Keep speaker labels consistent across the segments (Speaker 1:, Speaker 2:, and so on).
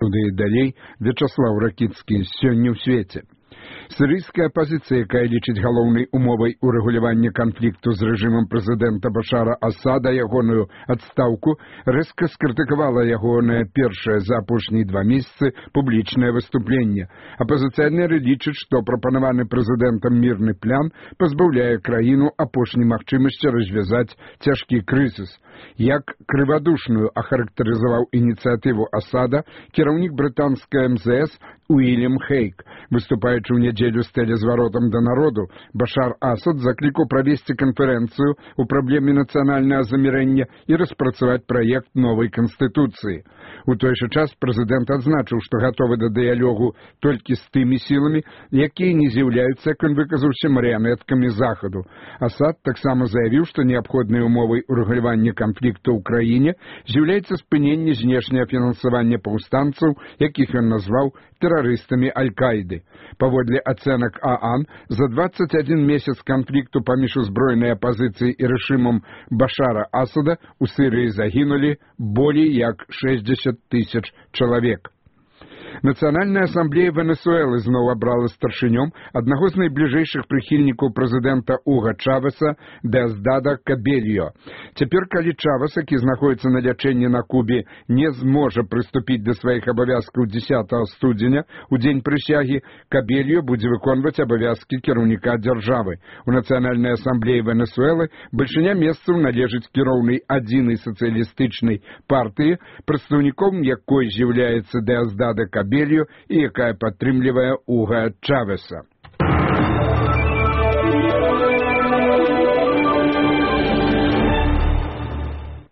Speaker 1: Туды і далей Вячаслаў Ракіцкі сёння ў свеце. Сірыйская апазіцыя, якая лічыць галоўнай умовай урэгулявання канфлікту з рэжымам прэзідэнта Башара Асада ягоную адстаўку, рэзка скрытыкавала ягонае першае за апошнія 2 месяцы публічнае выступленне. Апазіцыянеры лічаць, што прапанаваны прэзідэнтам мірны план пазбаўляе краіну апошняй магчымасці развязаць цяжкі крызіс. Як крывадушную ахарактарызаваў ініцыятыву Асада кіраўнік брытанскай МЗС Уильям Хейк. Выступаючы ў нядзелю з тэлезваротам да народу, Башар Асад заклікаў правесці канферэнцыю ў праблеме нацыянальнага замірэння і распрацаваць праект новай канстытуцыі. У той жа час прэзідэнт адзначыў, што гатовы да дыялогу толькі з тымі сіламі, якія не з'яўляюцца, як ён выказаўся, марыянеткамі Захаду. Асад таксама заявіў, што неабходнай умовай урэгулявання канфлікту ў краіне з'яўляецца спыненне знешняга фінансавання паўстанцаў, якіх ён назваў тэрарыстамі Аль-Каіды. Паводле ацэнак ААН, за 21 месяц канфлікту паміж узброенай апазіцыяй і рэжымам Башара Асада у Сірыі загінулі болей як 60 000 чалавек. Нацыянальная асамблея Венесуэлы зноў абрала старшынём аднаго з найбліжэйшых прыхільнікаў прэзідэнта Уга Чавеса Деосдада Кабельо. Цяпер, калі Чавес, які знаходзіцца на лячэнні на Кубе, не зможа прыступіць да сваіх абавязкаў 10 студзеня, у дзень прысягі, Кабельо будзе выконваць абавязкі кіраўніка дзяржавы. У Нацыянальнай асамблеі Венесуэлы бальшыня месцаў належыць кіроўнай адзінай сацыялістычнай партыі, прадстаўніком якой з'яўляецца Деосдада Кабельо, і якая падтрымлівае Уга Чавеса.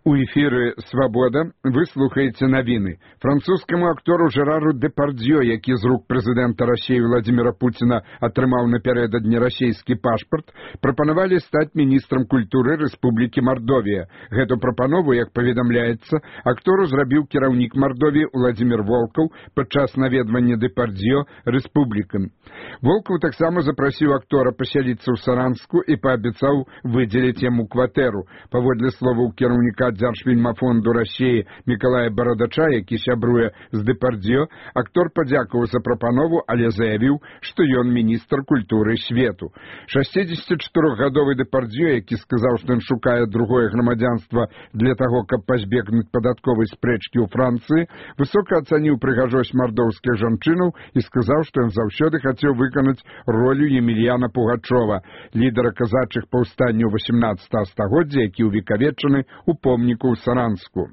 Speaker 1: У эфіры «Свабода» вы слухаеце навіны. Французскаму актору Жерару Депардзё, які з рук прэзідэнта Расіі Владзіміра Пуціна атрымаў напярэдадні расійскі пашпарт, прапанавалі стаць міністрам культуры Рэспублікі Мардовія. Гэту прапанову, як паведамляецца, актору зрабіў кіраўнік Мардовіі Владзімір Волкаў падчас наведвання Депардзё рэспублікам. Волкаў таксама запрасіў актора пасяліцца ў Саранску і паабяцаў выдзеліць яму кватэру. Паводле словаў кіраўніка Дзяржфільмафонду Расіі Мікалая Барадача, які сябруе з Депардзё, актор падзякаваў за прапанову, але заявіў, што ён міністр культуры свету. 64-гадовы Депардзё, які сказаў, што ён шукае другое грамадзянства для таго, каб пазбегнуць падатковай спрэчкі ў Францыі, высока ацаніў прыгажосць мардоўскіх жанчынаў і сказаў, што ён заўсёды хацеў выканаць ролю Емельяна Пугачова, лідара казачых паўстанняў 18 стагоддзя, які ўвекавечаны ў помніку ў Саранску.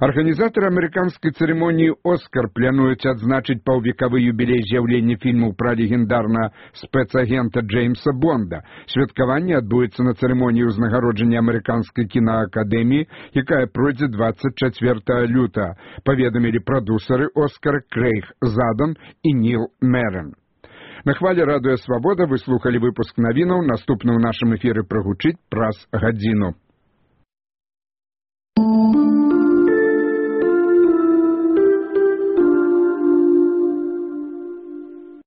Speaker 1: Арганізатары амерыканскай цырымоніі «Оскар» плануюць адзначыць паўвекавы юбілей з'яўлення фільмаў пра легендарнага спецагента Джеймса Бонда. Святкаванне адбудзецца на цырымоніі ўзнагароджання амерыканскай кінаакадэміі, якая пройдзе 24 лютага, паведамілі прадусары «Оскара» Крэйг Задан і Ніл Мерен. На хвале радыё «Свабода» вы слухалі выпуск навінаў, наступны ў нашым эфіры прагучыць праз гадзіну.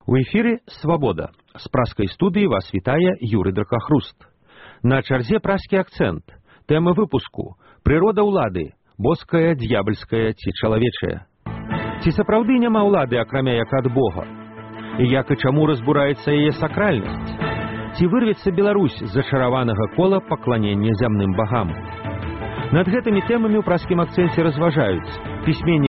Speaker 2: У эфіры «Свабода». З праскай студыі вас вітае Юрый Дракахруст. На чарзе праскі акцэнт. Тэма выпуску «Прырода ўлады. Боская, д'ябальская ці чалавечая». Ці сапраўды няма ўлады, акрамя як ад Бога? І як і чаму разбураецца яе сакральнасць? Ці вырвецца Беларусь з зачараванага кола пакланення зямным багам? Над гэтымі тэмамі ў праскім акцэнце разважаюць пісьменнік